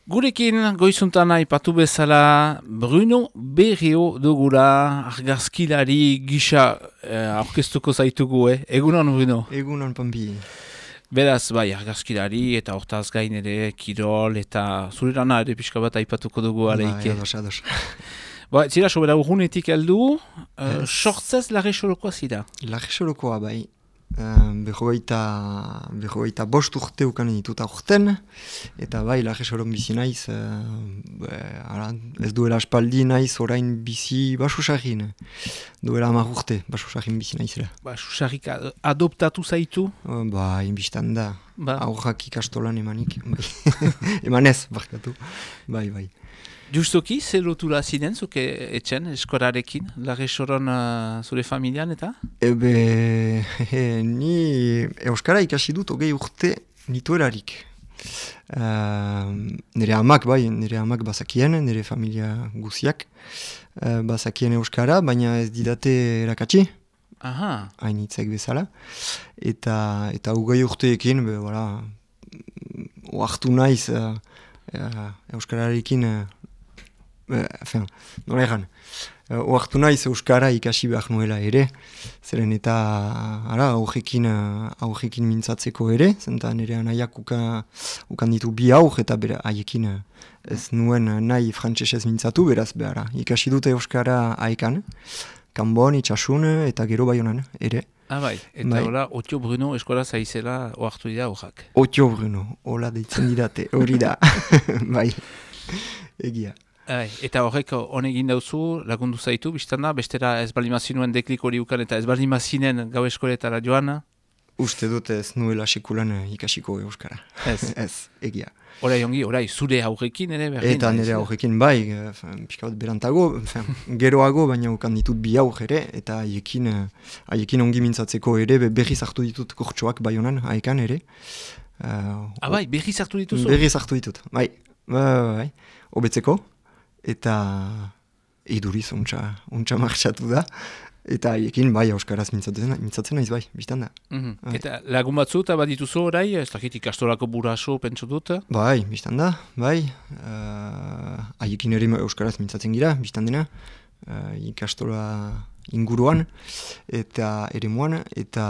Gurekin goizuntan aipatu bezala Bruno Berrio dugula argazkilari gisa aurkeztuko zaitugu, Egunon, Bruno? Egunon, Pampi. Beraz, bai, argazkilari eta hortaz gain ere, kirol eta zure lana ere pixka bat aipatuko dugu aleike. Bai, ados. Zira, sobera urgunetik heldu, sortzez lage sorokoa zira? Lage sorokoa, bai. Berrogeita bost urte ukan dituta urten, eta bai, lage soron bizi naiz, ez duela aspaldi naiz orain bizi basusarrin. Duela 10 urte, basusarrin bizi naizela. Basusarrik adoptatu zaitu? Bai, biztan da. Ba. Aurrak ikastolan emanik. Bai. Emanez, barkatu. Bai. Justoki, zer lotura zinen, zuke etxen, eskorarekin, lage soron zure familian eta? Ni euskara ikasi dut 20 urte nituelarik. Nire amak bazakien, nire familia guziak bazakien euskara, baina ez didate erakatsi, hainitzek bezala. Eta 20 urteekin, oartu naiz euskararekin, nola egan, oartu naiz euskara ikasi behar nuela ere, zeren eta aurrekin mintzatzeko ere, zenta nire anaiak ukan ditu bi aur, eta haiekin ez nuen nahi frantsesez mintzatu, beraz behara. Ikasi dute euskara haekan, Kanbon, Itxasun eta gero Baionan ere. Bai, eta hola, Otio Bruno eskola zaizela oartu dira horrak. Otio Bruno, hola deitzen didate, hori da, bai, egia. Eta horrek honegin dauzu, lagundu zaitu, biztanda, bestera ez balimazinuen deklik hori ukan eta ez balimazinen gau eskoletara joan? Uste dut ez nuela sekulan ikasiko euskara. Ez, egia. Orai, zure aurrekin ere berdin? Eta nire aurrekin, bai, pixka bat berantago, geroago, baina ukan ditut bi aur ere, eta haiekin ongi mintzatzeko ere, berriz hartu ditut kortxoak Baionan, haekan ere. Bai, berriz hartu dituzu? Berriz hartu ditut, bai, hobetzeko. Eta iduriz untxa martxatu da, eta haiekin bai euskaraz mintzatzen naiz bai, biztan da. Eta lagun batzu eta bat dituzu orai, ez dakit ikastolako buraso pentsu dut? Bai, biztan da, bai, haiekin ere euskaraz mintzatzen gira, biztan dena, ikastola inguruan, eta ere muan, eta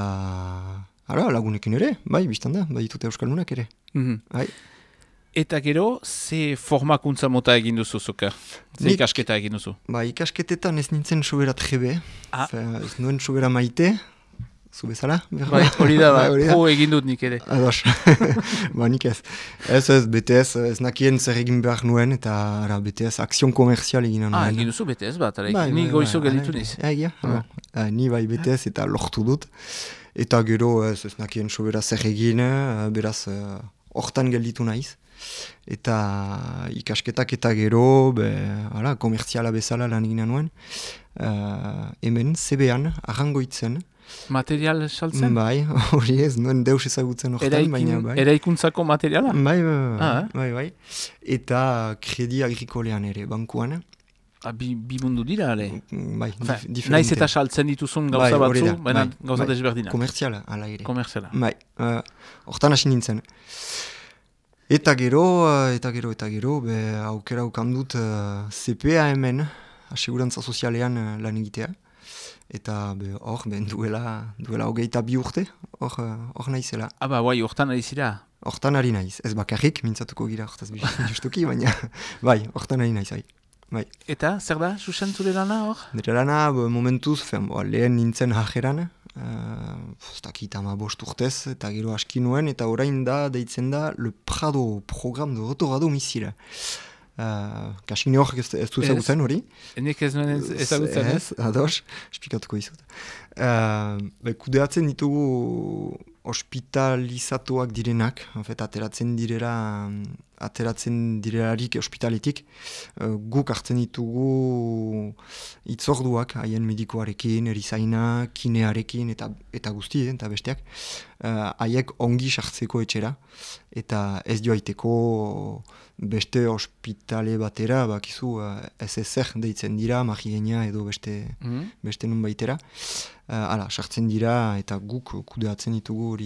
lagunekin ere, bai, biztan da, bai ditute euskaldunak ere, bai. Eta gero, ze formakuntza mota egin duzu zuka? Ze ikasketa egin duzu? Ikasketetan ez nintzen sobera trebe. Ez nuen sobera maite. Zu bezala? Hori da, egin dut nik ere. Ados. Nik ez. Ez, BTS, ez nakien zer egin behar nuen, eta BTS, akzion komerzial egin nuen. Egin duzu BTS bat, ni goizo gelditu niz. Ni bai BTS eta lortu dut. Eta gero ez nakien sobera zer egin, beraz, hortan gelditu naiz. Eta ikasketak eta gero komertziala bezala lan egin nuen, hemen CB-an arrangoitzen. Material saltzen? Bai, hori ez, nuen deus ezagutzen hortan, baina bai. Eraikuntzako materiala? Bai. Eta kredi agrikolean ere, bankuan. Bi mundu dira, ale? Bai, diferente. Naiz eta saltzen dituzun gauza batzu, baina gauza desberdina. Komertziala, ala ere. Komertziala. Bai, hortan hasi nintzen. Eta gero, aukera ukandut CPA hemen, asegurantza sozialean lan egitea. Eta hor, duela 22 urte, hor naizela. Bai, hortan ari zira? Hortan ari naiz, ez bakarrik, mintzatuko gira hortaz justuki, baina bai, hortan ari naiz, bai. Eta, zer da, Susan zure lana hor? Nire lana, momentuz, lehen nintzen hajeran, ez dakit 15 urtez, eta gero aski nuen, eta orain da, deitzen da, Le Prado, program de retour à domicile. Kasik ne horrek ez du ezagutzen hori? Nik ez nuen ezagutzen, ez? Ados, esplikatuko izut. Kudeatzen ditugu hospitalizatuak direnak, ateratzen direlarik hospitaletik, guk hartzen ditugu itzorduak, haien medikoarekin, erizaina, kinearekin, eta guzti, eta besteak, haiek ongi sartzeko etxera, eta ez joaiteko beste hospitale batera, bakizu SSR deitzen dira, magigenia edo beste nun baitera. Sartzen dira eta guk kudeatzen ditugu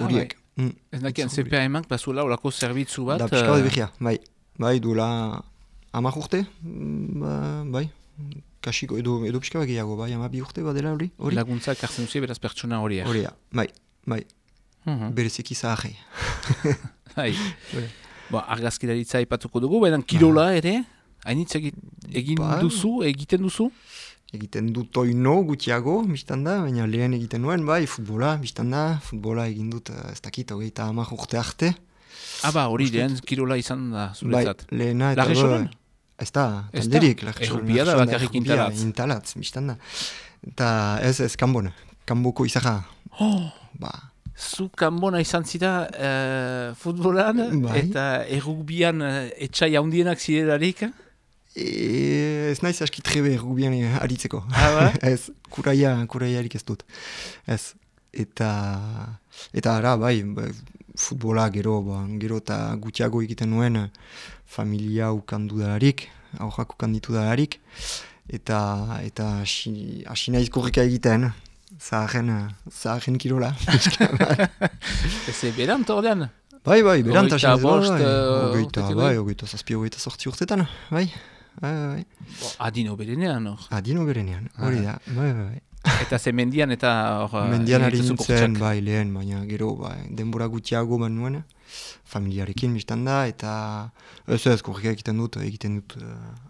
horiek. Ez dakien, CPA emank, bazuela olako zerbitzu bat. Da pixka bat behia, bai, duela 10 urte, bai, kasiko, edo pixka bat gehiago, bai, 12 urte badela hori. Laguntzak hartzen duzu beraz pertsona horiak. Horia, bai, bereziki zaharrei. Bai, argazkilaritza aipatuko dugu, baina kirola ere, hainitz egiten duzu? Egiten dut oino gutxiago, biztanda, baina lehen egiten nuen, bai, futbola, biztanda, futbola egin dut, ez dakit, 30 urte arte. Hori lehen kirola izan da, zuretzat. Bai, lehena eta... Larresonen? Ez da, talderik, Errupia da bakarrik intalatz. Intalatz, biztanda. Eta ez kanboko izara. Zu kanbona izan zira futbolan, eta errukbian etxai handienak zirelarik? Ez naiz aski trebe errukbian aritzeko. Ez, kuraiarik ez dut. Ez, eta ara, bai, futbola gero eta gutxiago egiten nuen familia ukandu dalarik, aurrak ukanditu dalarik, eta hasi naiz korrika egiten, zaharen kirola. Ez berant ordean? Bai, berant hasi naiz. Ogeita zazpi, 28 urtetan, bai. Adino berenean, hor? Adino berenean, hori da, bai. Eta ze mendian eta hor... Mendian ari nintzen, bai, lehen, baina gero, denbora gutxiago ban nuen, familiarekin biztanda, eta ez korrika egiten dut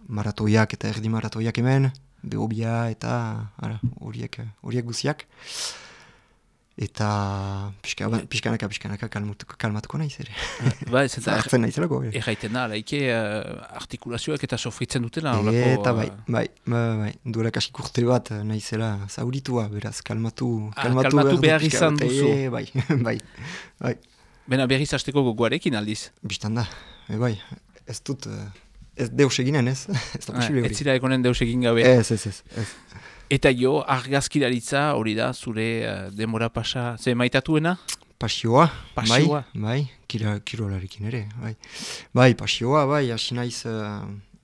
maratoiak eta erdi maratoiak hemen, behobia eta horiek guziak. Eta pixkanaka kalmatuko naiz ere. Ba, ez eta hartzen naizelako. Erraiten da, laike artikulazioak eta sofritzen dutela. Eta bai, duela kasik urte bat naizela zauritua, beraz, kalmatu behar izan duzu. Bai. Bena berriz hasteko gogoarekin aldiz. Bistanda, bai, ez dut, ez deus eginen ez, ez da posible hori. Ez zira ekonen deus egin gabe. Ez. Eta argazkilaritza hori da, zure demora pasa, ze maitatuena? Pasioa, bai, kirolarekin ere, bai. Bai, pasioa, bai, hasi naiz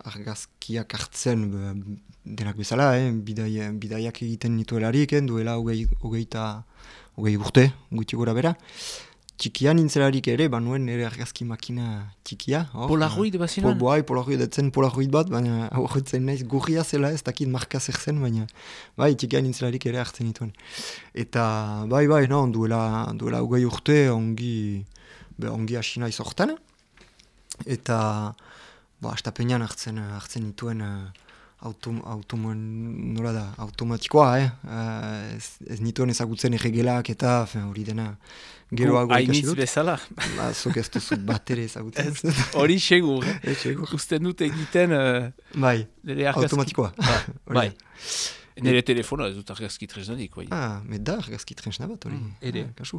argazkiak hartzen denak bezala, bidaiak egiten nituelarik, duela hogei urte, guti gora bera. Txikian nintzelarik ere, banuen nire argazki makina txikia. Polaroid bazinan? Polaroid etzen Polaroid bat, baina horretzen naiz gurria zela ez dakit marka zer zen, baina bai, txikian nintzelarik ere hartzen nituen. Eta bai, duela hogei urte ongi hasi naiz hortan. Eta astapenean hartzen nituen automatikoa, ez nituen ezagutzen erregelak eta hori dena geroago ikasi dut. Hainitz bezala? Zok ez duzu bat ere ezagutzen. Hori segur, usten dut egiten automatikoa. Bai. Nire telefonoa ez dut argazki tresnarik. Da argazki tresna bat hori. Ere. Kasu.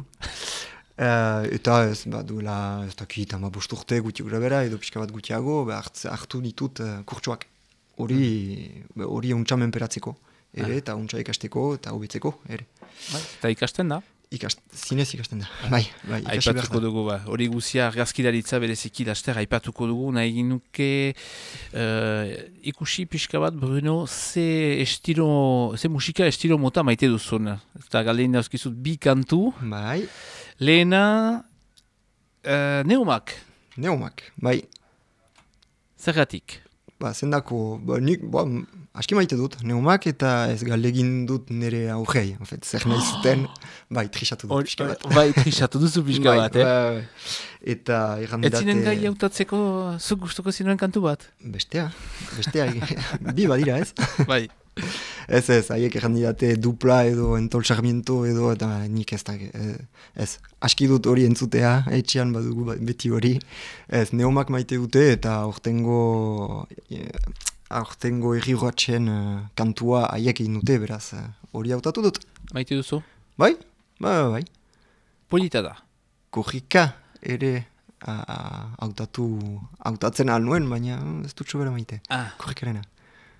Eta ez duela ez dakit 15 urte guti gura bera edo pixka bat gutiago hartu ditut kurtsuak. Hori untsa menperatzeko, eta untsa ikasteko eta hobetzeko, ere. Eta ikasten da? Zinez ikasten da, bai, ikasi behar da. Dugu, hori guzia argazkilaritza bereziki laster aipatuko dugu, nahi ginuke ikusi pixka bat, Bruno, ze musika estilo mota maite duzun. Eta galdein dauzkizut bi kantu. Bai. Lehena, Neumak. Neumak, bai. Zergatik? Zendako, nik, aski maite dut, Neumak eta ez galdegin dut nire aurrei. Zer nahi zuten, trixatu dut pixka bat. Trixatu duzu pixka bat, Eta errandidate... Ez zinen gai hautatzeko zuk gustuko zinuen kantu bat? Bestea, bi badira ez? Bai. Ez, haiek errandidate dupla edo entol sarmiento edo, eta nik ez da, aski dut hori entzutea, etxean badugu beti hori. Ez, Neumak maite dute eta aurtengo erri urratxen kantua haiek egin dute, beraz, hori hautatu dut. Maite duzu? Bai. Polita da? Korrika ere hautatzen alnuen, baina ez dut sobera maite. Korrikarena.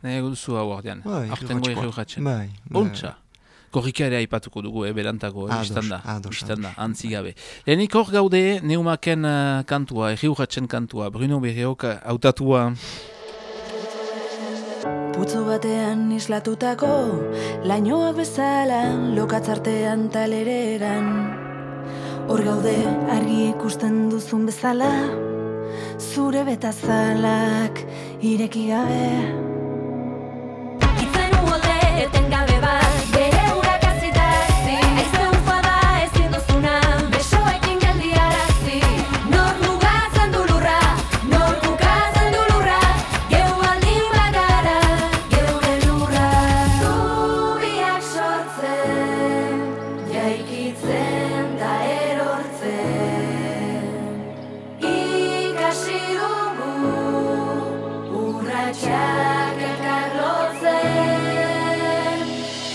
Nahi duzu hau ordean, aurtengo erri urratxen. Bai. Ontsa. Korrika ere aipatuko dugu, berantago, biztanda, antzigabe. Lehenik hor gaude, Neumaken kantua, erri urratxen kantua, Bruno Berriok hautatua. Putzu batean islatutako, lainoa bezala, lokatzartean talereran. Hor gaude argi ikusten duzun bezala, zure betazalak ireki gabe. Itzen uholde etengabe bat, bere urak azitazi, aize ufada ezin duzuna, besoekin geldiarazi. Nor mugatzen du lurra, nor kukatzen du lurra, geu baldin bagara, geure lurra. Zubiak sortzen, jaikitzen da erortzen, ikasi dugu urratsak elkar lotzen.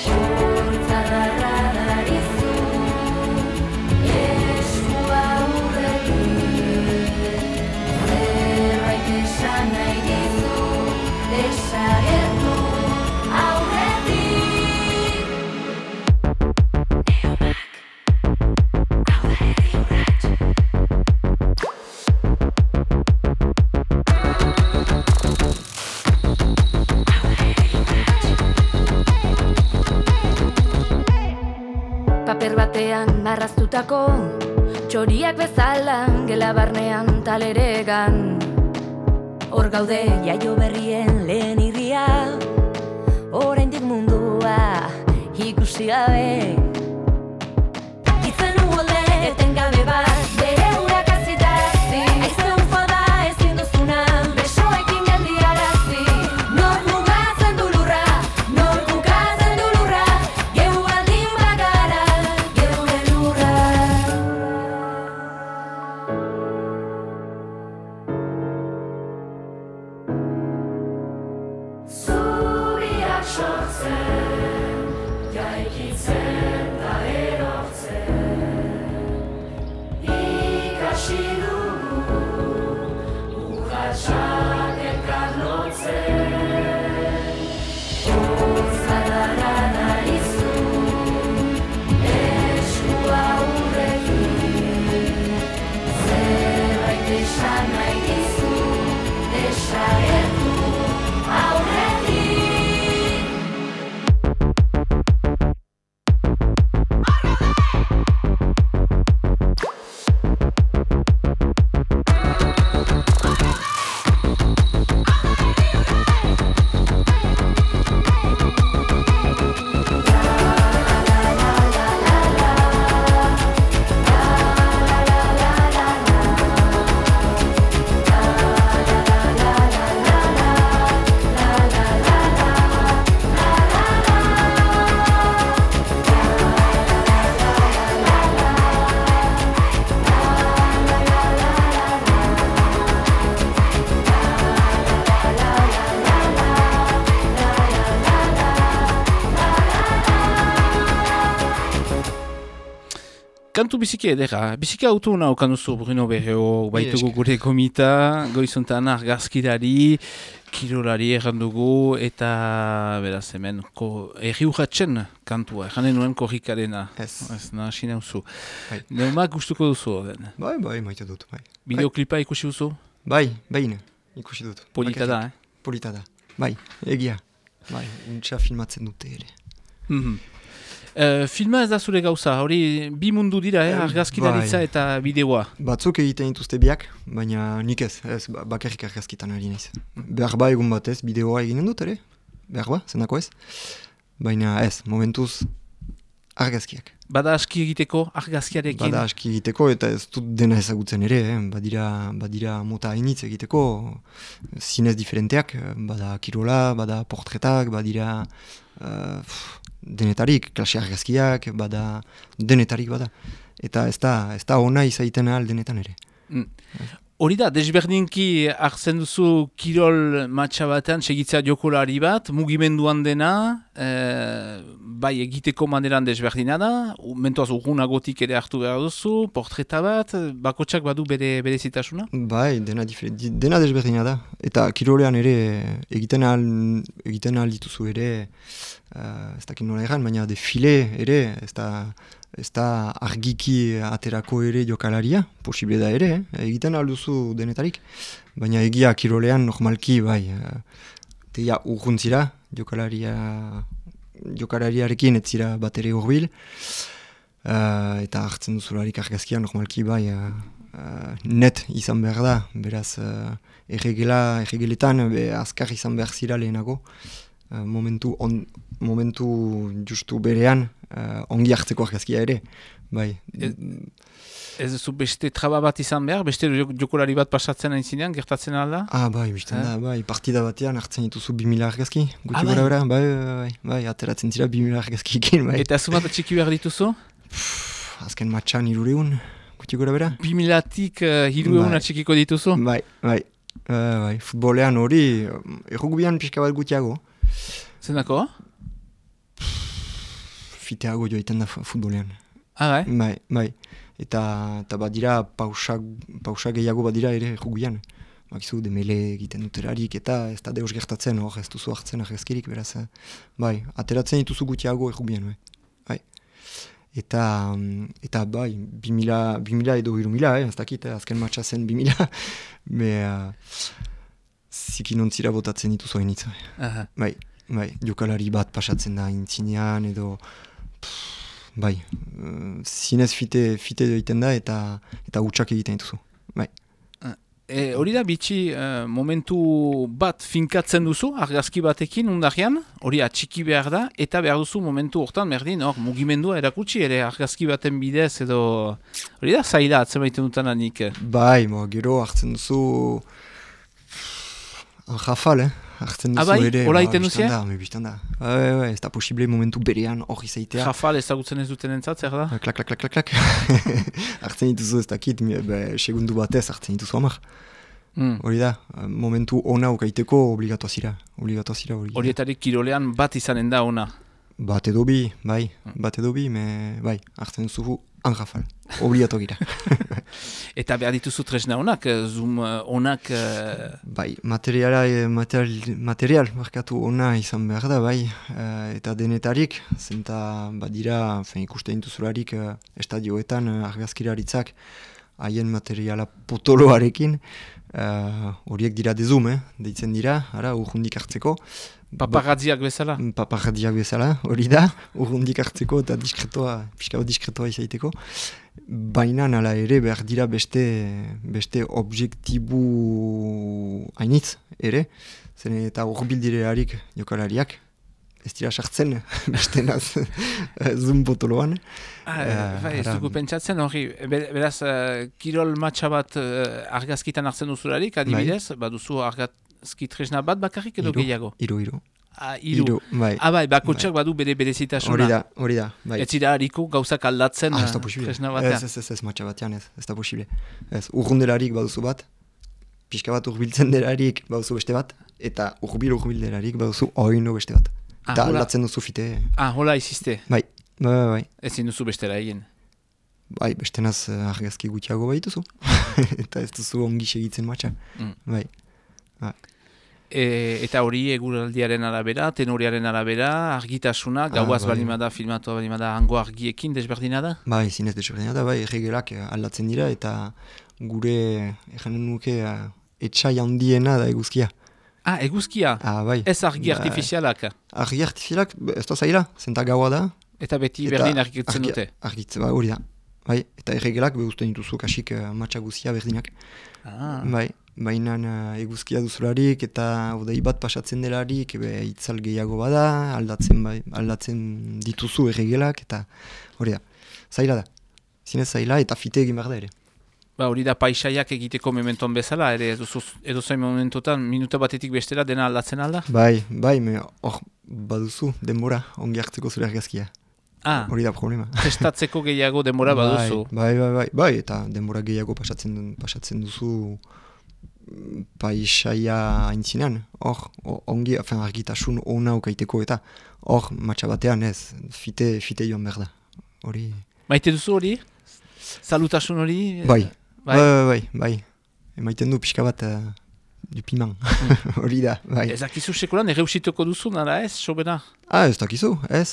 Hortzadarra darizu, eskua urretik, zerbait esan nahi dizu, desagertu aurretik. Paper batean marraztutako txoriak bezala gela barnean taleregan. Hor gaude jaio berrien lehen irria, oraindik mundua ikusi gabe. Itzen uholde etengabe bat, bere urak azitazi, aize ufada ezin duzuna, besoekin geldiarazi. Nor mugatzen du lurra, nor kukatzen du lurra, geu baldin bagara, geure lurra. Zubiak sortzen, jaikitzen da erortzen, ikasi dugu urratsak elkar lotzen. Hortzadarra darizu, eskua urretik, zerbait esan nahi dizu, desagertu aurretik. Kantu biziki edera, biziki autu naukan duzu Bruno Berreo, baitugu gure komita, goizuntan argazkirari, kirolari errandugu, eta beraz hemen, erri urratzen kantua, erranen nuen korrikarena. Ez nahasi nauzu. Neumak gustuko duzu, den? Bai, maite dut, bai. Bideoklipa ikusi duzu? Bai, ikusi dut. Polita da, Polita da, bai, egia. Bai, untsa filmatzen dute ere. Filma ez da zure gauza, hori bi mundu dira, argazkilaritza eta bideoa. Batzuk egiten dituzte biak, baina nik ez bakarrik argazkitan ari naiz. Behar ba egun batez, bideoa eginen dut ere, behar ba, zenako ez. Baina ez, momentuz argazkiak. Bada aski egiteko argazkiarekin? Bada aski egiteko eta ez dut dena ezagutzen ere, badira mota hainitz egiteko, zinez diferenteak, bada kirola, bada portretak, badira denetarik, klase argazkiak, bada denetarik bada. Eta ez da ona izaiten ahal denetan ere. Hori da, desberdinki hartzen duzu kirol matxa batean, segitzea jokolari bat, mugimenduan dena, bai egiteko maneran desberdina da, mentoaz urgunagotik ere hartu behar duzu, portreta bat, bakotsak badu bere zitasuna? Bai, dena desberdina da. Eta kirolean ere egiten ahal dituzu ere, ez dakit nola erran, baina defile ere, ez da argiki aterako ere jokalaria, posible da ere, egiten alduzu denetarik. Baina egia kirolean normalki, bai, teia urguntzira, jokalariarekin ez zira bat ere urbil. eta hartzen duzularik argazkia normalki bai net izan behar da, beraz erregeletan azkar izan behar zira lehenago, momentu justu berean ongi hartzeko argazkia ere, bai. Ez duzu beste traba bat izan behar, beste jokolari bat pasatzen hain zinean, gertatzen alda? Bai, bizten da, bai, partida batean hartzen dituzu 2000 argazki, guti gora bera, bai, ateratzen zira 2000 argazki ikin, bai. Eta zumat txiki behar dituzu? Azken matxan 300, guti gora bera. 2000-tik 300 txikiko dituzu? Bai, futbolean hori, errugbian pixka bat gutiago. Zendako? Fiteago joiten da futbolean. Bai. Eta badira pausa gehiago badira ere errugian. Bakizu, demele egiten duterarik eta ez da deus gertatzen hor, ez duzu hartzen argazkirik, beraz. Bai, ateratzen dituzu gutiago errugian, bai. Eta bai, 2000 edo 3000, ez dakit, azken matxa zen 2000, zikin ontzira botatzen dituzu hainitz. Bai, jokalari bat pasatzen da intzinean edo... Bai, zinez fite egiten da eta hutsak egiten dituzu. Bai. Hori da bitxi momentu bat finkatzen duzu, argazki batekin undarrean, hori atxiki behar da, eta behar duzu momentu hortan berdin, mugimendua erakutsi ere argazki baten bidez edo... Hori da zaila atzen baiten dutan anik. Bai, gero hartzen duzu... Anjafal, hartzen duzu ere... Hola iten duzia? Biztan da. Bai, ez da posible momentu berean hori zeitea. Jafal ezagutzen ez duten entzat, zer da? Klak. Hartzen dituzu ez dakit, segundu batez hartzen dituzu amak. Hori da, momentu ona ukaiteko obligatoa zira hori. Horietarik kirolean bat izanen da ona? Bat edo bi, bai, hartzen duzu anjafal, obligato gira. Eta behar dituzu tresna onak, zoom onak... Bai, material markatu ona izan behar da, bai, eta denetarik, zenta badira, ikusten dituzularik estadioetan argazkiraritzak haien materiala potoloarekin, horiek dira de zoom, deitzen dira, urrundik hartzeko. Paparazziak bezala? Paparazziak bezala, hori da, urrundik hartzeko eta pixka bat diskretoa izaiteko. Baina nala ere behar dira beste objektibu hainitz ere, zen eta urbildirerarik jokalariak, ez dira sartzen, beste naz zoom potoloan. Ez dugu pentsatzen hori, beraz, kirol matxa bat argazkitan hartzen duzularik, adibidez, baduzu argazki tresna bat bakarrik edo gehiago? Hiru. Hiru, bai. Bai, bakotxak badu bere berezitasuna. Hori da, bai. Ez dira hariko gauzak aldatzen tresna batean. Ez matxa batean ez da posible. Urrundelarik baduzu bat, pixka bat urbiltzen delarik baduzu beste bat, eta urbil-delarik baduzu oino beste bat. Eta aldatzen duzu fite. Hola izizte? Bai. Ezin duzu bestera egin? Bai, bestenaz argazki gutiago baituzu. Eta ez duzu ongi segitzen matxa. Bai. Eta hori eguraldiaren arabera, tenoriaren arabera, argitasuna, gauaz balimada, filmatu balimada, hango argiekin desberdina da? Bai, zinez desberdina da, bai, erregelak aldatzen dira, eta gure, erranen nuke, etxai handiena da eguzkia. Eguzkia? Bai. Ez argi artifizialak? Argi artifizialak, ez da zaila, zenta gaua da. Eta beti berdin argitzen dute? Argitzen, hori da. Bai, eta erregelak behuzten dituzu kasik matxa guzia berdinak. Bai. Baina eguzkia duzularik eta odei bat pasatzen delarik itzal gehiago bada, aldatzen dituzu erregelak eta hori da. Zaila da. Zinez zaila eta fite egin behar da ere. Hori da paisaiak egiteko mementoan bezala, ere edo zain momentotan minuta batetik bestera dena aldatzen alda? Bai, hor baduzu denbora ongi hartzeko zure argazkia. Hori da problema. Testatzeko gehiago denbora baduzu? Bai, eta denbora gehiago pasatzen duzu paisaia haintzinean, hor, ongi, argitasun ona ukaiteko eta hor, matxa batean ez, fite joan behar da. Hori... Maite duzu hori? Salutasun hori? Bai. Emaiten du pixka bat du piman. Hori da, bai. Ez dakizu sekulan erreusituko duzu, nara ez, sobera? Ez dakizu, ez.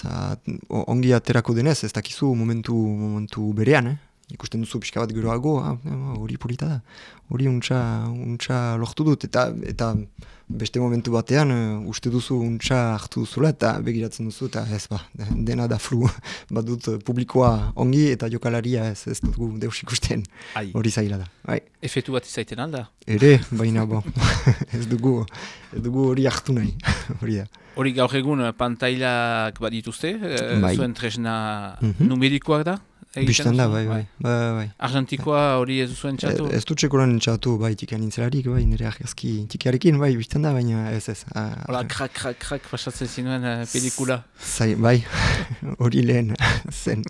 Ongi aterako denez, ez dakizu momentu berean, ikusten duzu pixka bat geroago, hori polita da, hori untxa lortu dut, eta beste momentu batean uste duzu untxa hartu duzula, eta begiratzen duzu, eta ez dena da flu, bat dut publikoa ongi, eta jokalaria ez dugu deus ikusten, hori zaila da. Bai. Efetu bat izaiten alda? Ere, baina ez dugu hori hartu nahi, hori da. Hori gaur egun pantailak badituzte, zuen tresna numerikoak da? Bistan da, bai. Argentikoa hori ez zuen txatu? Ez dut txekoran txatu, bai, tikian nintzelarik, bai, nire argazki tikiarekin, bai, bistan da, baina ez. Hola, krak, pasatzen zinuen pelikula. Bai, hori lehen zen,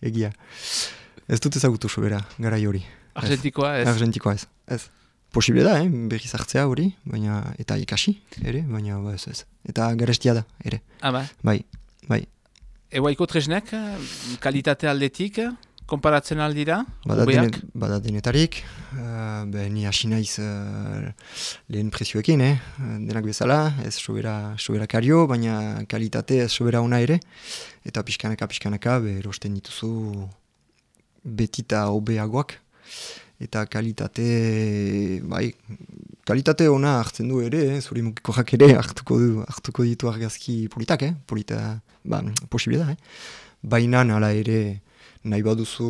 egia. Ez dut ezagutu sobera, garai hori. Argentikoa ez? Argentikoa ez. Posible da, berriz hartzea hori, baina eta ikasi, ere, baina ez. Eta garestia da, ere. Bai. Eguaiko tresnek, kalitate aldetik, konparatzen aldira? Bada denetarik, ni hasi naiz lehen prezioekin, denak bezala, ez sobera kario, baina kalitate ez sobera ona ere, eta pixkanaka, erosten dituzu betita hobeagoak, eta kalitate ona hartzen du ere, zuri mukikoak ere hartuko ditu argazki politak, posible da, baina nala ere nahi baduzu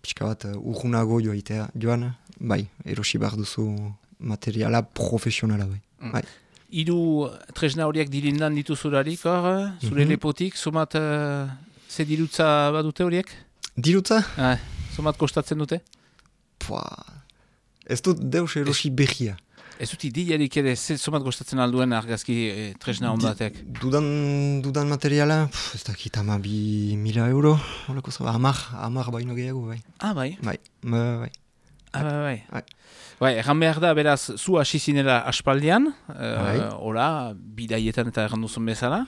pixka bat urgunago joan, bai, erosi behar duzu materiala profesionala, bai. Hiru tresna horiek dilindan dituzularik, zure lepotik, somat ze dirutza badute horiek? Dirutza? Somat kostatzen dute? Ez dut deus erosi behia. Ez dut idiarik ere, somat gostatzen alduen argazki tresna hon batek? Dudan materiala, ez dakit 2.000 euro, hamar baino gehiago, bai. Bai. Bai, erran behar da, beraz, zu hasi zinela aspaldian, bidaietan eta erran duzun bezala,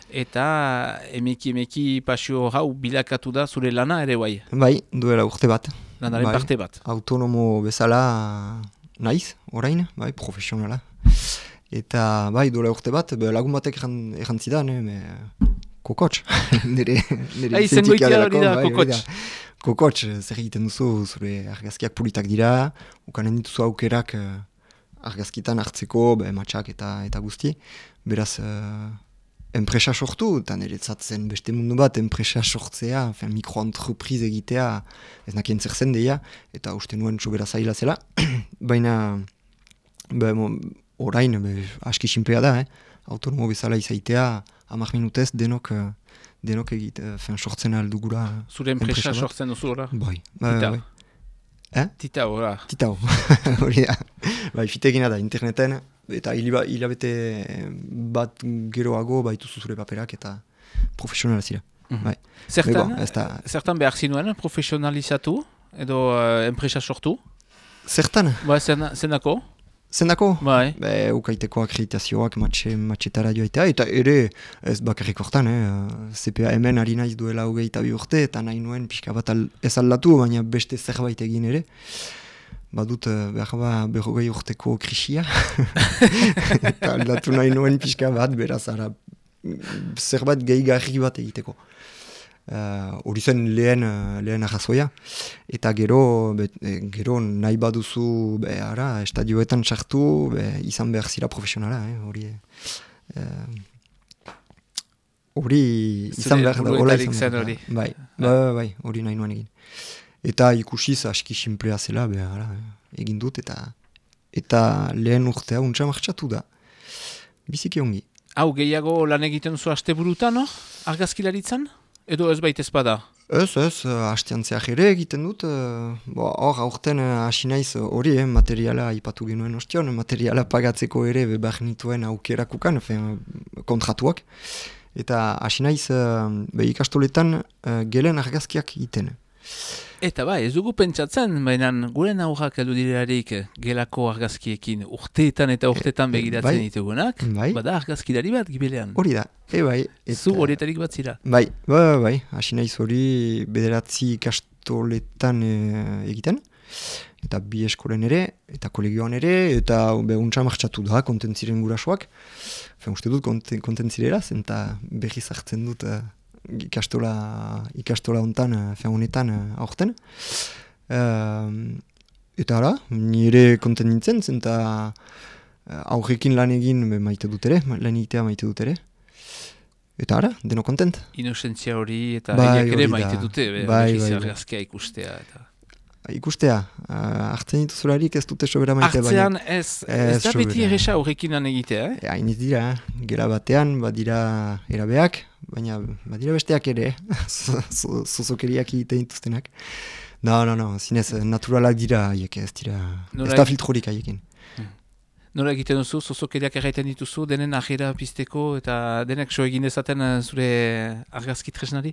eta emeki pasio hau bilakatu da zure lana ere bai? Bai, duela urte bat. Lanaren parte bat. Autonomo bezala naiz, orain, bai, profesionala. Eta bai, duela urte bat, lagun batek errantzidan, kokotx. Nire zengoitia hori da, kokotx. Kokotx, zer egiten duzu, zure argazkiak politak dira, ukanen dituzu aukerak argazkitan hartzeko, matxak eta guzti. Beraz, enpresa sortu, eta niretzat zen beste mundu bat, enpresa sortzea, mikroentreprise egitea, ez nakien zer zen deia, eta uste nuen sobera zaila zela. Baina, orain, aski sinplea da, autonomo bezala izaitea, 10 minutez denok sortzen aldugura. Zure enpresa sortzen duzu, ora? Bai. Titao, ora? Titao, hori da. Bai, fitegina da, interneten, eta hilabete bat geroago baituzu zure paperak eta profesionala zira. Zertan behar zinuen profesionalizatu edo enpresa sortu? Zertan? Zenako? Zendako? Bai. Ukaiteko akreditazioak matxetara joaitea, eta ere ez bakarrik hortan, CPA hemen ari naiz duela 22 urte, eta nahi nuen pixka bat ez aldatu, baina beste zerbait egin ere. Badut behar 40 urteko krisia, eta aldatu nahi nuen pixka bat, beraz ara zerbait gehigarri bat egiteko. Hori zen lehen arrazoia, eta gero nahi baduzu estadioetan sartu, izan behar zira profesionala, hori izan behar da, hola izan behar da. Bai, hori nahi nuen egin. Eta ikusiz aski simplea zela, egin dut, eta lehen urtea untsa martxatu da. Biziki ongi. Hau, gehiago lan egiten zu asteburutan, argazkilaritzan? Edo ez baita ezpada? Ez, hasteantzeak ere egiten dut. Hor, aurten hasi naiz hori, materiala ipatu genuen ostion, materiala pagatzeko ere behar nituen aukerakukan, kontratuak. Eta hasi naiz ikastoletan gelen argazkiak iten. Eta ez dugu pentsatzen, baina gure aurrak heldu direlarik gelako argazkiekin urteetan eta urteetan begiratzen ditugunak, bada argazkilari bat gibelean. Hori da, bai. Zu horietarik bat zira? Bai, hasi naiz hori 9 ikastoletan egiten, eta 2 eskolen ere, eta kolegioan ere, eta untsa martxatu da, kontentziren gurasoak. Uste dut kontentzirera, eta berriz hartzen dut ikastola hontan, honetan aurten. Eta ara, nire konten nintzen, zenta aurrekin lan egin maite dut ere, lan egitea maite dut ere. Eta ara, deno kontent. Inozentzia hori eta Bai, egiak ere hori da. maite dute, Bai, argazkia ikustea. Eta. Ikustea, hartzen dituzularik ez dute sobera maite. Hartzean ez da beti sobera. erresa horrekin lan egitea, Hain ez dira, gela batean, badira erabeak, baina badira besteak ere, zozokeriak egiten dituztenak. No, zinez, naturalak dira haiek, ez dira, ez da filtrorik haiekin. Nola egiten duzu, zozokeriak erraiten dituzu, denen ajera pizteko eta denek so egin dezaten zure argazki tresnari?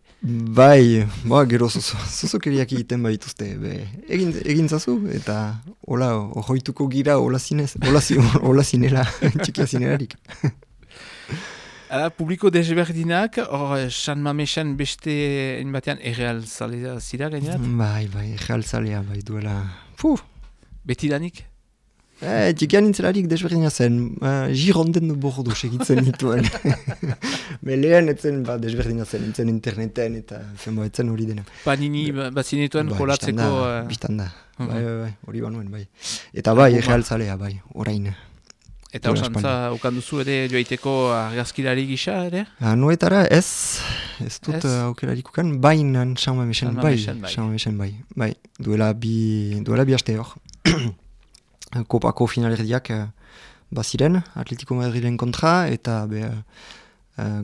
Bai, gero zozokeriak egiten baituzte, egin zazu, eta hola, ohoituko gira, hola zinela, txikia zinelarik. Hala, publiko desberdinak, hor San Mamesen beste batean erreal zalea zira gainerat? Bai, erreal zalea, duela, Betidanik? Txikian nintzelarik desberdina zen, Gironden bordo segitzen nituen. Lehen etzen desberdina zen, entzen interneten eta etzen hori dena. Panini bazinetuen jolatzeko... Bistanda, hori banuen, bai. Eta erreal zalea, orain. Eta osantza ukanduzu ere joaiteko argazkilari gisa ere? Noetara ez dut aukerarik ukan, bainan San Mamesen bai. Duela bi aste hor. Kopako finalerdiak baziren, Atletico Madrilen kontra, eta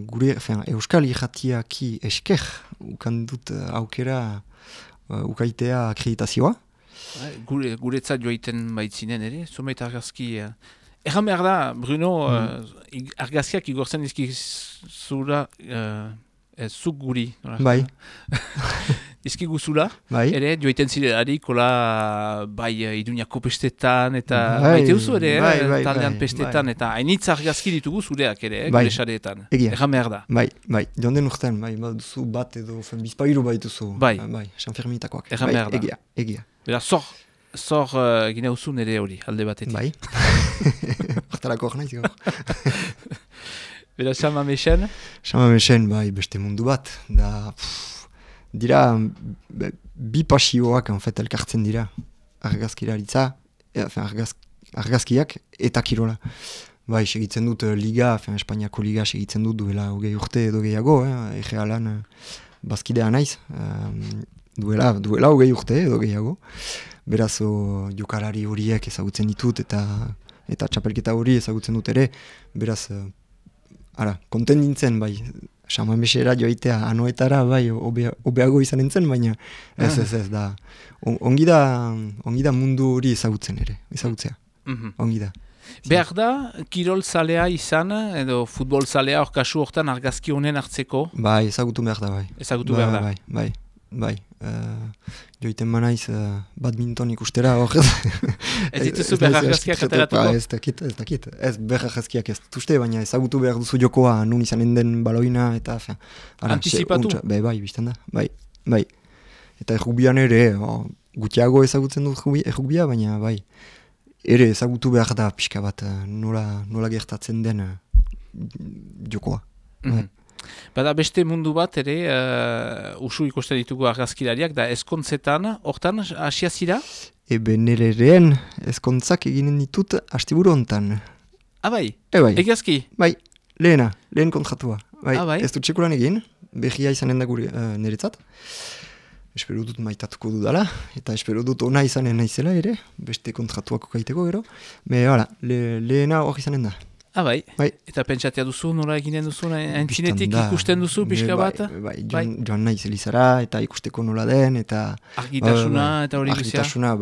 gure Euskal Irratiaki esker ukan dut aukera ukaitea akreditazioa. Guretzat joaiten baitzinen ere, zumeit argazki... Egan behar da, Bruno, argazkiak igortzen dizkizula, zuk guri. Bai. Dizkiguzula, bai. Ere, joaiten zirelari, kola, Iruñako pestetan, eta baite duzu ere, taldean pestetan, eta hainitz argazki ditugu zureak ere, gure sareetan. Egan behar da. Bai, jonden urtean, duzu bat edo, bizpairu baituzu. Bai, San Ferminitakoak. Egan behar da. Egia. Bera, zor gine duzu nire hori, alde batetik. Bai. Hortarako hor nahiz gaur. Bera, San Mamesen? San Mamesen, beste mundu bat. Dira, bi pasioak elkartzen dira. Argazkilaritza, argazkiak eta kirola. Segitzen dut liga, Espainiako liga segitzen dut duela 20 urte edo gehiago, egealan bazkidea naiz. Duela 20 urte edo gehiago. Beraz, jokalari horiek ezagutzen ditut eta txapelketa hori ezagutzen dut ere. Beraz, konten nintzen, San Mamesera joaitea anoetara, obeago izan nintzen, baina ez da. Ongi da mundu hori ezagutzea. Ongi da. Behar da, kirol zalea izan, edo futbol zalea hor kasu hortan argazki honen hartzeko? Ezagutu behar da, Ezagutu behar da. Bai. Joiten manaiz badminton ikustera hor. Ez dituzu behar argazkiak ateratuko? Ez dakit. Ez behar argazkiak ez dutuzte, baina ezagutu behar duzu jokoa nun izanen den baloina eta... Anticipatu? Bai, biztan da. Bai. Eta errugbian ere, gutiago ezagutzen dut errugbia, baina ere ezagutu behar da pixka bat nola gertatzen den jokoa. Bada beste mundu bat ere, usu ikusten ditugu argazkilariak, da eskontzetan, hortan, hasia zira? Nereen eskontzak eginen ditut astiburu hontan. Bai? Egiazki? Bai, lehen kontratua. Ez dut txekulan egin, behia izanen da gure niretzat. Espero dut maitatuko dudala, eta espero dut ona izanen naizela ere, beste kontratuako kaiteko gero. Lehena hor izanen da. Bai. Eta pentsatea duzu, nola eginen duzu, entzinetik ikusten duzu, pixka bat? Joan naiz Elizara, eta ikusteko nola den, eta... Argitasuna, eta hori guzia? Argitasuna,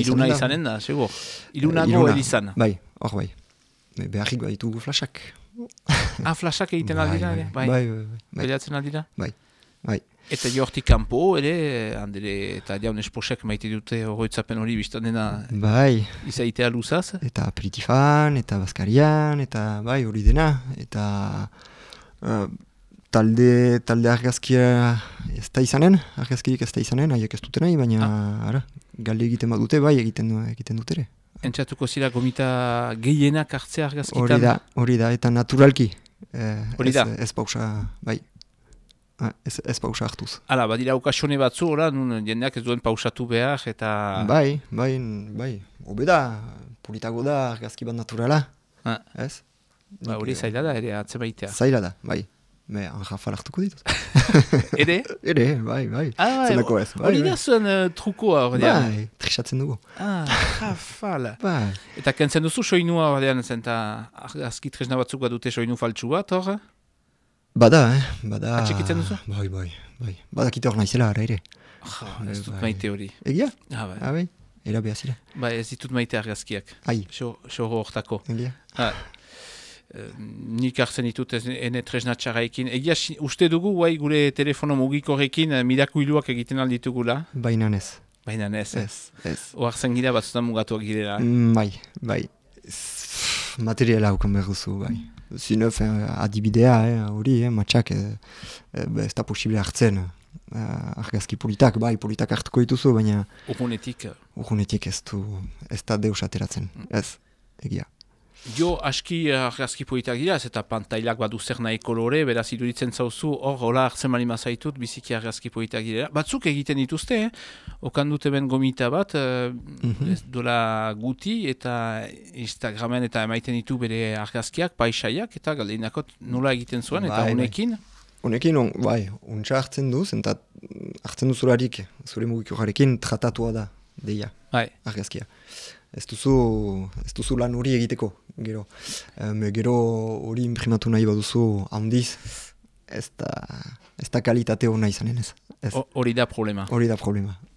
Iluna izanen da, segur. Ilunago Elizan. Hor bai. Beharrik ditugu flashak. Flashak egiten aldira, ere? Bai. Beleatzen aldira? Bai. Eta jortik kanpo, ere, handele, eta jaun esposek maite dute horretzapen hori biztan dena izaitea luzaz. Eta aperitifan, eta bazkarian, eta hori dena. Eta talde argazkia ez da izanen, argazkirik ez da izanen, haiek ez dute nahi, baina galde egiten badute, egiten dut ere. Entzatuko zira gomita gehienak hartzea argazkitan? Hori da, eta naturalki. Hori da? Ez pausa, bai. ez pausa hartuz. Hala, badira okasione batzu, ora, nun jendeak ez duen pausatu behar, eta... Bai, obeda, politago da argazki bat naturala, ez? Ba, hori zaila da, ere, atzemaitea. Zaila da, bai. Anjafal hartuko ditut. Ere? Ere, bai. Zenako ez. Hori da zuen trukoa, ordean. Bai, trisatzen dugu. Anjafal. Bai. Eta kentzen duzu soinua, ordean, zenta argazki tresna batzuk badute soinu faltsu bat, hor? Bada. Atxikitzen duzu? Bai. Badakite hor naizela, ara ere. Ez dut maite hori. Egia? Bai. Era behazira. Bai, ez ditut maite argazkiak. Ai. Xoro hortako. Egia? Nik hartzen ditut ene tresna txarraikin. Egia, uste dugu, guai, gure telefono mugikorekin mirakuiluak egiten alditugula? Baina ez. Baina ez. Ez. Oartzen gira batzutan mugatuak girela. Bai. Materiala haukan behar duzu, bai. Zinef, adibidea, hori, matxak, ez da posible hartzen. Argazki politak hartuko dituzu, baina... Urgunetik ez da deus ateratzen. Ez, egia. Jo, aski argazki politak dira, ez eta pantailak badu zer nahi kolore, beraz iduritzen zauzu, hola hartzen mali mazaitut, biziki argazki politak dira. Batzuk egiten dituzte, okan dute ben gomita bat, dola guti, eta Instagramen eta emaiten ditu bere argazkiak, paisaiak, eta galdeinakot nola egiten zuen, eta honekin? Honekin, untsa hartzen duz, eta hartzen duzularik, zure mugikoarekin, tratatua da, deia, argazkia. Ez duzu lan hori egiteko, gero. Gero hori imprimatu nahi baduzu handiz, ez da kalitate hona izanen ez. Hori da problema.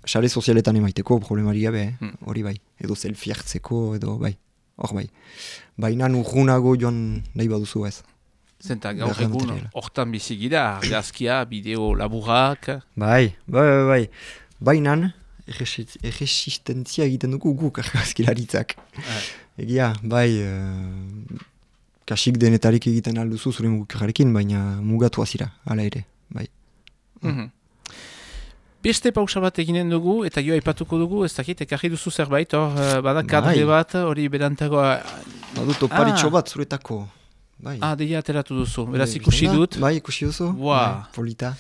Sare sozialetan emaiteko problemari gabe, hori bai. Edo selfie hartzeko, edo bai. Hor bai. Baina urgunago joan nahi baduzu ez. Zenta gaur egun hortan bizigira, argazkia, bideo laburrak. Bai. Bainan, erresistentzia egiten dugu guk argazkilaritzak. Egia, bai, kasik denetarik egiten alduzu zure mugikarekin, baina mugatu azira, ala ere, bai. Beste pausa bat eginen dugu, eta jo aipatuko dugu, ez dakit, ekarri duzu zerbait, bada kadre bat, hori berantagoa... Badut oparitxo bat zuretako, bai. Deia ateratu duzu, beraz ikusi dut. Bai, ikusi duzu, polita.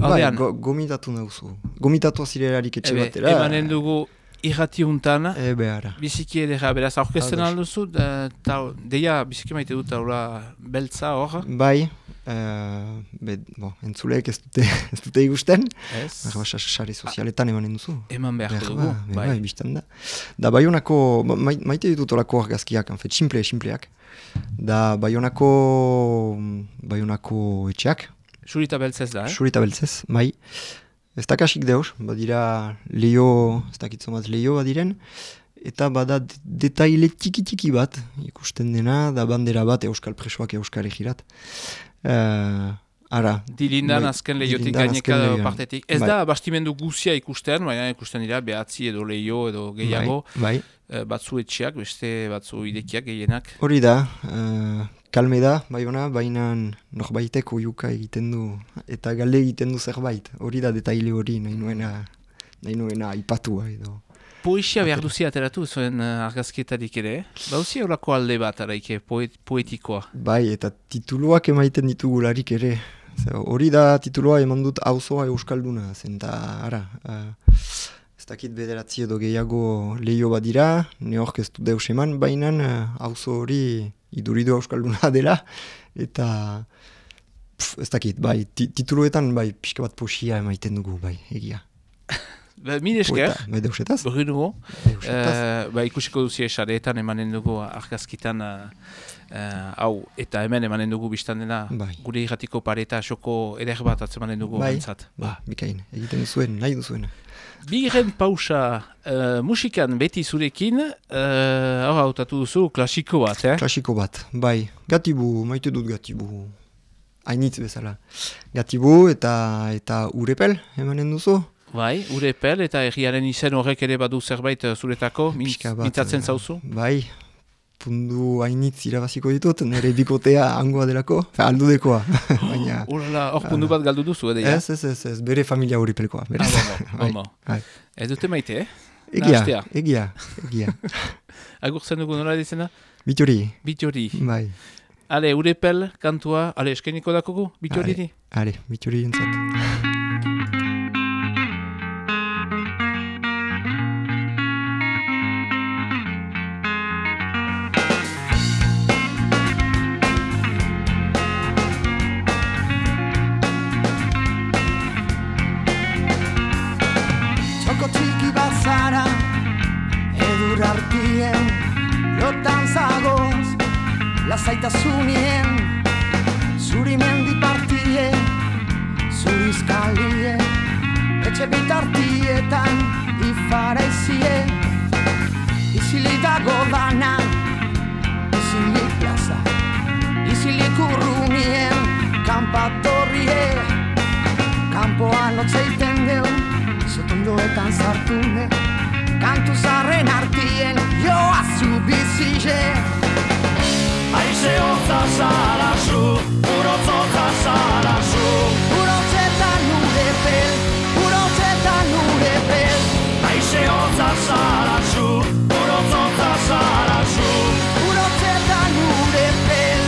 Bai, gomitatu nahuzu. Gomitatu azirelarik etxe batera. Emanen dugu irratiuntan. Behara. Biziki edera, beraz, aurkezten alduzu. Deia, biziki maite dut aula beltza hor. Bai. Entzuleek ez dute igusten. Ez. Sare sozialetan emanen duzu. Eman behar dugu. Bai, biztan da. Da Baionako, maite ditut olako argazkiak, simpleak. Da Baionako etxeak. Surita beltzez da, Surita beltzez, bai. Ez da kasik deus, badira leio, ez dakitzomaz leio badiren, eta bada detaile tiki bat, ikusten dena, da bandera bat euskal presoak euskal egirat. Dilindan azken leiotik gaineka partetik. Ez da bastimendu guzia ikusten, baina ikusten dira behatzi edo leio edo gehiago. Bai. Batzu etxeak, beste batzu idekiak gehienak. Hori da, kalme da, baina norbaitek oiuka egiten du, eta galde egiten du zerbait. Hori da detaile hori, nahi nuena ipatua edo. Poesia behar duzia ateratu zuen argazkietarik ere, bauzia horako alde bat araike, poetikoa. Bai, eta tituluak emaiten ditugularik ere. Hori da titulua eman dut auzoa euskalduna, zenta ez dakit bederatzi edo gehiago leio bat dira, neork ez du deus eman, baina auzo hori iduridu euskalduna dela, eta ez dakit, bai, tituluetan bai, pixka bat poesia emaiten dugu, bai, egia. Mil esker, deusetaz. Berri dugu, ikusiko duzia esareetan emanen dugu argazkitan hau, eta hemen emanen dugu biztan dena, gure irratiko pareta xoko eder bat atzemanen dugu gantzat. Bikain, egiten duzuen, nahi duzuena. Bigarren pausa musikan beti zurekin, hor hautatu duzu klasiko bat, Klasiko bat, bai, Gatibu, maite dut Gatibu, hainitz bezala. Gatibu eta Urepel emanen duzu. Bai, Urepel eta herriaren izen horrek ere badu zerbait zuretako, mintzatzen zauzu? Bai, pundu hainitz irabaziko ditut, nire bikotea hangoa delako, aldudekoa. Hor pundu bat galdu duzu, edo? Ez, bere familia Urepelkoa. Ez dute maite, Egia. Agurtzen dugu nola dizena? Bitori. Bitori. Bai. Ale, Urepel, kantua, ale, eskainiko dakogu, Bittoriri? Ale, Bittoriri entzat. Artien, lotan zagoz, lasaitasunien, zuri mendi partie, zuri izkalie, etxe bitartietan, ifaraizie, izilik dago dana, izilik plaza, izilik urrunien, kanpatorrie, kanpoan otzeiten deu, zotondoetan zartune, kantu zarren artien joa zu bizile. Aize hotza zara zu, urotzotza zara zu. Urotzetan urepel, urotzetan urepel. Aize hotza zara zu, urotzotza zara zu. Urotzetan urepel.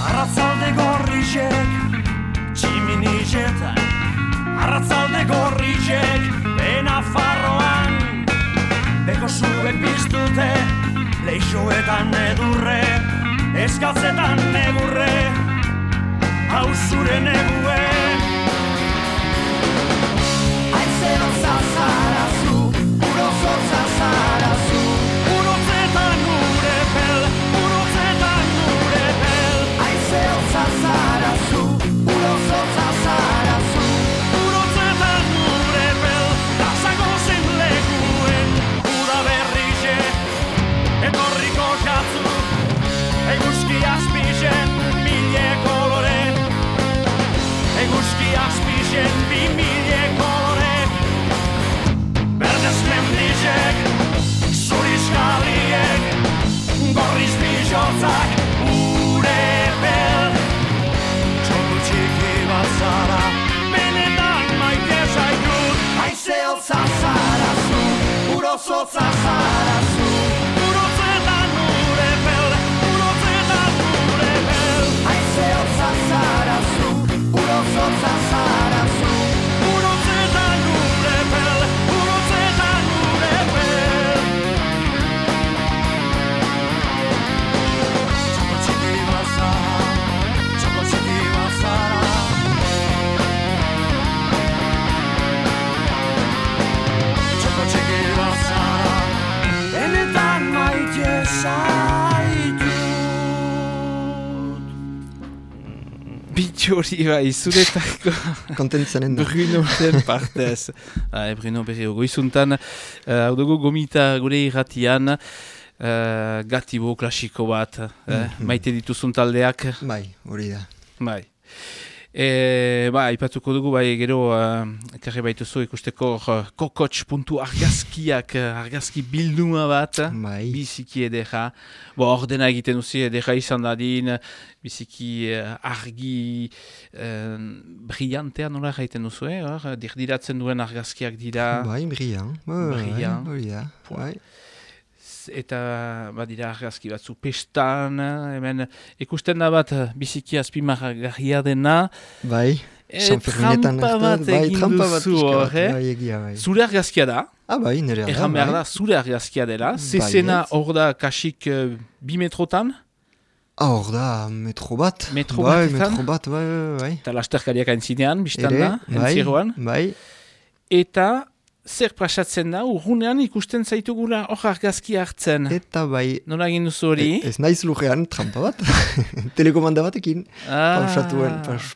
Arratzalde gorrizek, tximinizetan. Arratzalde gorrizek, bena farroan. Beko zuek biztute, leixoetan edurre, eskatzetan negurre, hau zure negue. Aizero zazarazu, urozotza zarazu. Urotzetan urepel, urotzetan urepel. Aizero zazarazu, urozotza zarazu. Urotzetan urepel, dazago zen lekuen. Uda berrixe, etorriko jatzu, eguzki azpizen, mille kolore. Eguzki azpizen, bi mille kolore. Berdez mendizek, zuriz jarriek, gorriz bizotzak, urepel. Txoko txiki bat zara, benetan maite zaitut. Aizeotza zarazu, urozotza zarazu. Urotzetan urepel, urotzetan urepel. Aizeotza zarazu, urozotza zarazu. Urotzetan urepel, urotzetan urepel. Txoko txiki bat zara, txoko txiki bat zara. Txoko txiki bat zara, benetan maite zaitut. Bittori bai, zuretako Kontentzenen da. Brunoren partez. Bruno berri goizuntan, hau dugu gomita gure irratian, gatibo klasiko bat, maite dituzun taldeak. Bai, hori da. Bai. Ipatuko dugu, gero, ekarri baituzu ikusteko kokotx.argazkiak, argazki bilduma bat, Bai. biziki edera. Ordena egiten duzi edera izan dadin, biziki argi brillantea nola gaiten duzu, dirdiratzen duen argazkiak dira. Bai, brillant. Brillant. Hori da. Bai. Eta badira argazki batzu pestan, hemen ikusten da bat biziki azpimarragarria dena. Bai. Sanferminetan Trampa bat egin trampa bat duzu pixka bat, hor, bai, egia, bai. Zure argazkia da, Ah, bai, nire da. erran behar bai. da, zure argazkia dela, zezena Baietz. hor da kasik 2 metrotan, Ah, hor da, metro bat. Metro Bai, batetan. metro bat, bai. eta lasterkariak aintzinean, biztan Ere, da, entziroan, bai. eta zer prasatzen da, urrunean ikusten zaitugula hor argazki hartzen. Eta bai, Nola egin duzu hori? ez naiz lujean trampa bat. Telekomanda batekin.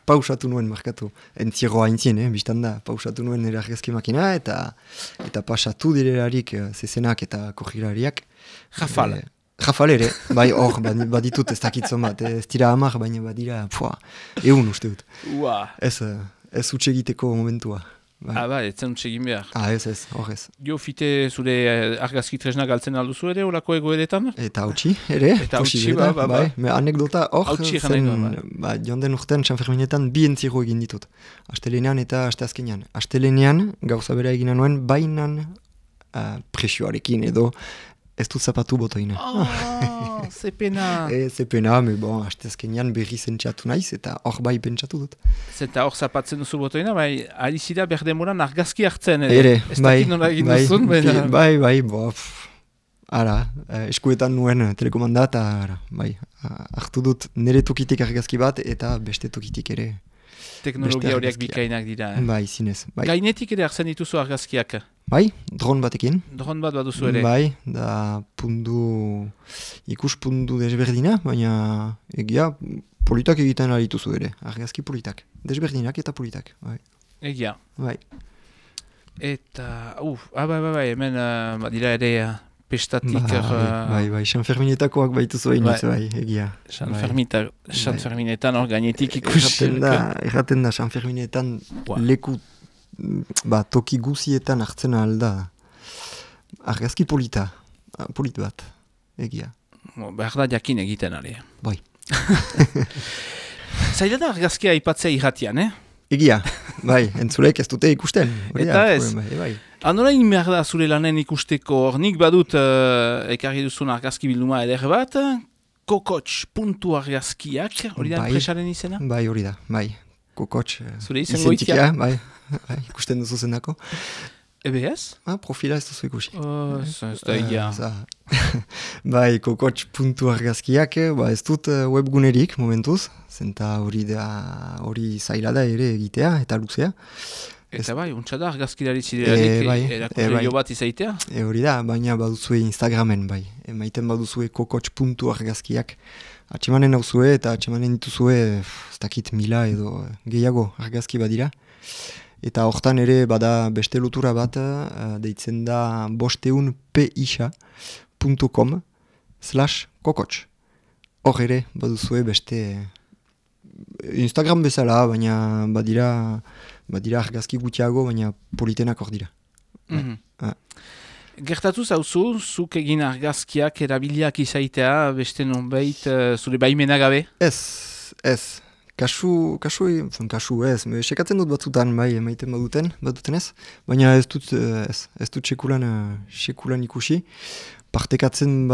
Pausatu nuen markatu. Entzieroa aintzien, biztan da. Pausatu nuen nire argazki makina eta pasatu direlarik zezenak eta korrilariak. Rafal. Rafal ere, bai hor, baditut ez dakitzen bat, ez dira 10, baina badira, 100 uste dut. Ua. Ez utxe egiteko momentua. Bai, ez zen egin behar. Ez, horrez. Jo, fite zure argazki tresna galtzen alduzu ere, olako egoeretan? Eta hautsi, ere. Eta hautsi, posible da, ba. Me anekdota hor, Hautsi egan nahi du, joan den urtean San Ferminetan bi entziro egin ditut. Astelenean eta asteazkenean. Astelenean, gauza bera egina nuen, bainan presioarekin edo ez dut zapatu botoina. Ze pena. Ze pena, me bon, asteazkenean berri zentsatu naiz eta hor bai pentsatu dut. Zenta hor zapatzen duzu botoina, bai, ari zira berdemoran argazki hartzen, Ere, ez dakit nola egin duzun, bai, ara, eskuetan nuen telekomanda eta bai, hartu dut nire tokitik argazki bat eta beste tokitik ere. Teknologia horiak bikainak dira. Bai, zinez. Bai. Gainetik ere hartzen dituzu argazkiak. Bai, dron batekin. Dron bat baduzu ere. Bai, da ikuspundu desberdina, baina egia politak egiten alituzu ere, argazki politak. Desberdinak eta politak, bai. Egia. Bai. Eta, bai, hemen dira ere pestatik... Bai, San Ferminetakoak baituzu hainitz, bai, egia. San Ferminetan hor gainetik ikusi. Erraten da, San Ferminetan leku toki guzietan hartzen alda argazki polit bat, egia. Behar da jakin egiten ari. Bai. Zaila da argazkia aipatzea irratian, Egia, bai, entzulek ez dute ikusten. Eta ez. Bai. Anorain behar da zure lanen ikusteko, nik badut ekarri duzun argazki bilduma eder bat, kokotx.argazkiak, hori da enpresaren izena? Bai, hori da, bai. Kokotx. Zure izango itia? Bai, ikusten duzu zenako. EBS? Profila ez duzu ikusi. Ez da egia. Bai, kokotx.argazkiak, ez dut webgunerik momentuz, zenta hori zaila da ere egitea eta luzea. Eta bai, untsa da argazkilari ziderarik erakusleio bat izaitea? Hori da, baina baduzue Instagramen, bai. Maiten baduzue kokotx.argazkiak. Atxemanen hauzue eta atxemanen dituzue, ez dakit 1000 edo gehiago argazki badira. Eta hortan ere bada beste lotura bat, deitzen da 500pisha.com/kokotx. Hor ere baduzue beste Instagram bezala, baina badira argazki gutxiago, baina politenak hor dira. Gertatu zauzu, zuk egin argazkiak erabiliak izaitea, beste nonbait zure baimena gabe? Ez. Kasu ez, sekatzen dut batzutan, bai, emaiten baduten ez, baina ez dut sekulan ikusi. Partekatzen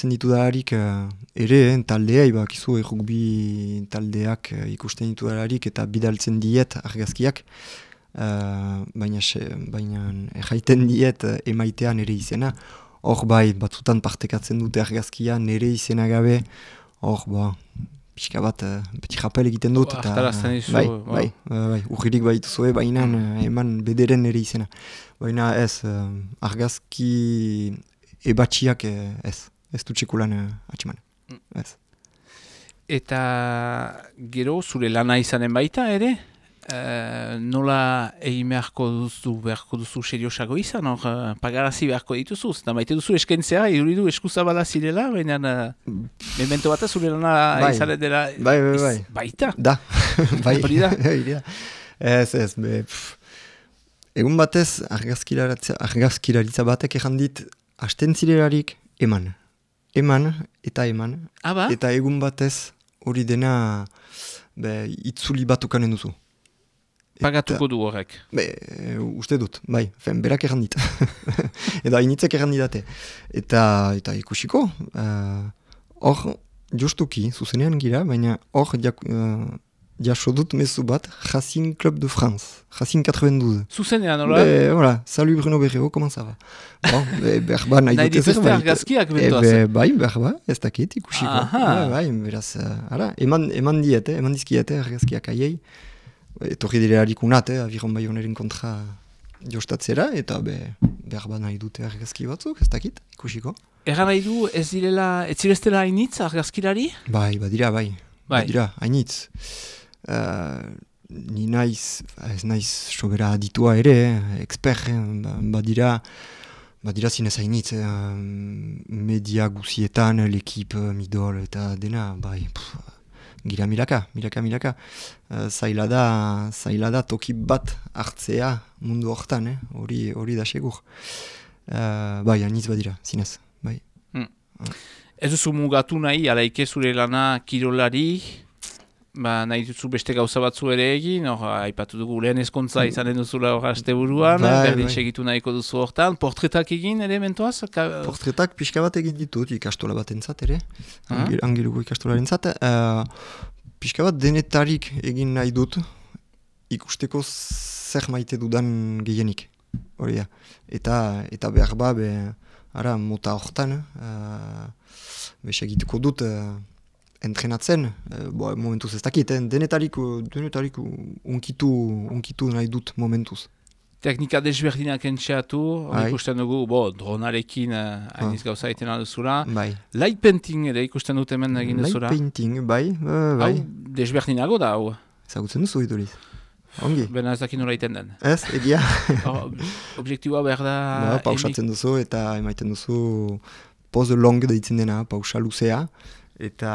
ditu dalarik ere, taldea, bakizu rugby taldeak ikusten ditu dalarik eta bidaltzen diet argazkiak, baina erraiten diet emaitean ere izena. Hor bai, batzutan partekatzen dute argazkia nere izena gabe, hor pixka bat beti rapel egiten dut. Bai, urririk baituzue, baina eman bederen ere izena. Baina ez, argazki ebatxiak ez dut txekulan atximan. Ez. Eta gero zure lana izanen baita ere? Nola egin beharko duzu seriosago izan, pagarazi beharko dituzu, eta maite duzu eskentzea, iruridu eskuzabala zirela, baina memento bat zure lana izanen dela baita? Da, bai. Hori da? Ez, egun batez argazkilaritza batek errandit hasten zirelarik eman. Eta egun batez hori dena itzuli batukanen duzu. Pagatuko du horrek. Uste dut, bai, berak errandit. Eta hainitzek errandidate. Eta ikusiko, hor justuki, zuzenean gira, baina hor jaso dut mezu bat, Racing Club de France, Racing 92. Zuzenean, hola? Voilà, salut Bruno Berrero, comment ça va? Berba nahi dute zerbait. Nahi dituzte argazkiak bentoaz. Bai, berba, ez dakit ikusiko. Bai, beraz, eman dizkiete argazkiak aiei. Etorri direlarik unat, abiron bai honerin kontra jostatzera, eta berba nahi dute argazki batzuk, ez dakit, ikusiko. Egan nahi du, ez zireztela hainitz argazkilari? Bai, badira, hainitz. Ni ez naiz sobera aditua ere, expert, badira zinez hainitz, media guzietan, l'ekip, midol, eta dena, bai, gira milaka. Zaila da toki bat hartzea mundu hortan, hori da segur. Bai, aniz badira, zinez, bai. Ez duzu mugatu nahi, alaike zure lana kirolari, nahi duzu beste gauza batzu ere egin, aipatu dugu lehen ezkontza izanen duzula hor asteburuan, berdin segitu nahiko duzu hortan, portretak egin ere mentoaz? Portretak pixka bat egin ditut, ikastola batentzat ere, angeluko ikastolarentzat. Pixka bat denetarik egin nahi dut, ikusteko zer maite dudan gehienik, hori da. Eta behar ba, mota hortan, segituko dut entrenatzen, momentuz ez dakit, denetarik unkitu nahi dut momentuz. Teknika desberdinak entxeatu, ikusten dugu, dronarekin hainiz gauza egiten alduzula. Bai. Light painting ere ikusten dut hemen egin duzula. Light painting, bai. Hau, desberdinago da, hau. Ezagutzen duzu iduriz. Ongi. Bena ez dakin nola iten den. Ez, egia. Objektiboa behar da... Pausatzen duzu eta emaiten duzu pose long deitzen dena, pausa luzea. Eta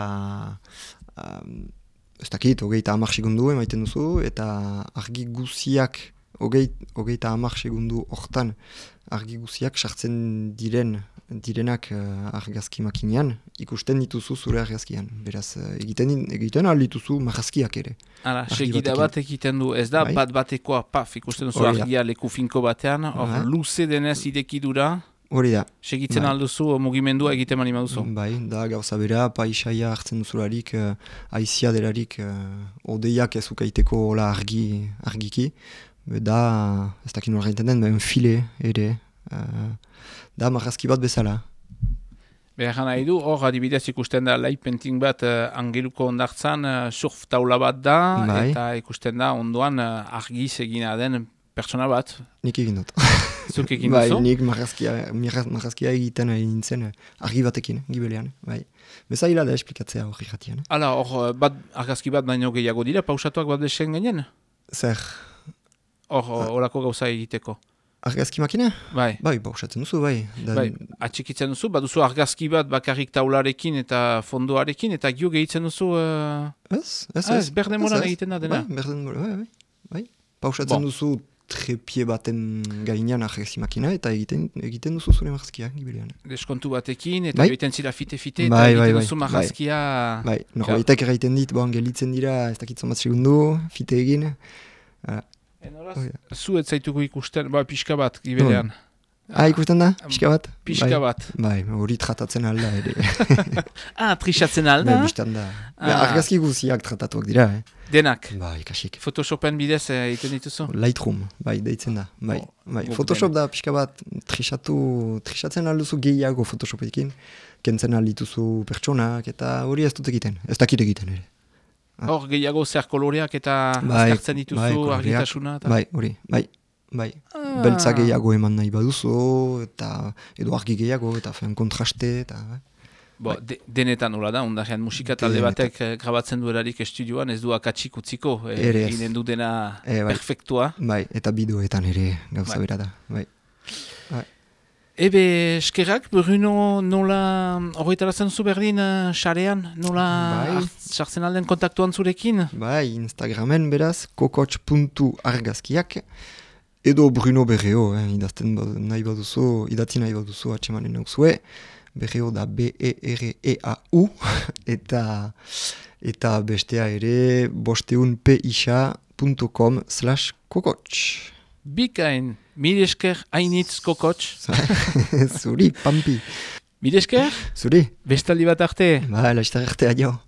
ez dakit, 30 segundu emaiten duzu, eta argi guziak, 30 segundu hortan, argi guziak sartzen direnak argazki makinean, ikusten dituzu zure argazkian. Beraz, egiten aldituzu marrazkiak ere. Hala, segida bat egiten du, ez da, bat-batekoa, ikusten duzu argia leku finko batean, luze denez idekidura. Hori da. Segitzen alduzu, mugimendua egiten mani maduzu. Bai, da gauza bera, paisaia hartzen duzularik, aizia delarik, odeiak ez ukaiteko hola argiki. Da, ez dakin hori gaiten den, file ere. Da, marrazki bat bezala. Behar nahi du, hor adibidez ikusten da light painting bat angeluko ondartzan, surf taula bat da, eta ikusten da ondoan argiz egina den pertsona bat. Nik egin dut. Zuk egin duzu? Bai, nik marrazkia egiten nintzen argi batekin, gibelean. Bai. Bezaila da esplikatzea hori jatian. Hala, hor argazki bat baino gehiago dira, pausatuak bat desen ginen? Zer? Horako gauza egiteko. Argazki makina? Bai. Bai, pausatzen duzu, bai. Bai, atxikitzen duzu, baduzu argazki bat bakarrik taularekin eta fondoarekin, eta gio gehitzen duzu... Ez, berdemoran egiten da dena. Bai, berdemoran, bai. Pausatzen duzu trepie baten gainean argazki makina, eta egiten duzu zure marrazkia, gibilean. Deskontu batekin, eta egiten zira fite-fite, eta egiten duzu marrazkia... Bai, norbaitek egiten dit, gelitzen dira, ez dakitzen bat segundu, fite egin... Zu ez zaituko ikusten, pixka bat, giberean. Ikusten da, pixka bat? Pixka bat. Bai, hori tratatzen alda ere. Trixatzen alda? Bistan da. Argazki guziak tratatuak dira, Denak? Bai, kasik. Photoshopen bidez egiten dituzu? Lightroom, bai, deitzen da. Bai. Photoshop da, pixka bat, trixatzen alduzu gehiago Photoshopekin, kentzen aldituzu pertsonak, eta hori ez dut egiten, ez dakit egiten ere. Hor, gehiago zer koloreak eta azkartzen dituzu, argitasuna? Bai, hori, bai. Beltza gehiago eman nahi baduzu, eta edo argi gehiago, eta kontraste, eta... Denetan nola da, ondarean musika talde batek grabatzen duelarik estudioan, ez du akatsik utziko, eginen du dena perfektua. Bai, eta bideoetan ere gauza bera da, bai. Ebe, eskerrak, Bruno, nola horretarazen zu berdin xarean, nola sartzen alden kontaktuan zurekin? Bai, Instagramen beraz, kokotx.argazkiak, edo Bruno Berreo, idatzi nahi baduzu atxemanen nauzue, Berreo da B-E-R-E-A-U, eta bestea ere bosteunpisa.com/kokotx. Bikain, mil esker hainitz kokotx. Zuri, pampi. Mil esker? Zuri. Bestaldi bat arte. Laiztar arte, adio.